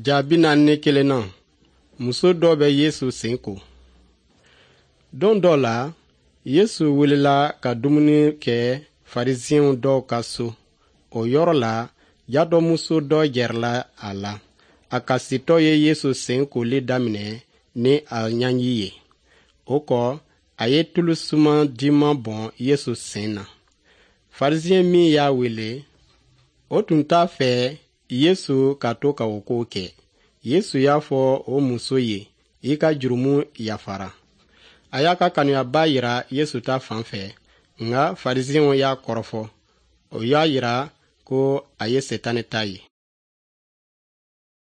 Ja 41nan, muso dɔ bɛ Yesu sen ko. Don dɔ la, Yesu wulila ka dumuni kɛ Farisiɛnw dɔw ka so. O yɔrɔ la, jatɔmuso dɔ gɛrɛla a la. A kasitɔ ye Yesu sen koli daminɛ ni a ɲɛji ye. O kɔ, a ye tulu suma diman bɔn Yesu sen na. Farisiɛn min y'a wele, o tun t'a fɛ Yesu ka to ka o ko kɛ. Yesu y'a fɔ o muso ye, i ka jurumu yafara. A y'a ka kanuyaba yira Yesu ta fan fɛ, nka Farisiɛnw y'a kɔrɔfɔ. O y'a yira ko a ye Setane ta ye.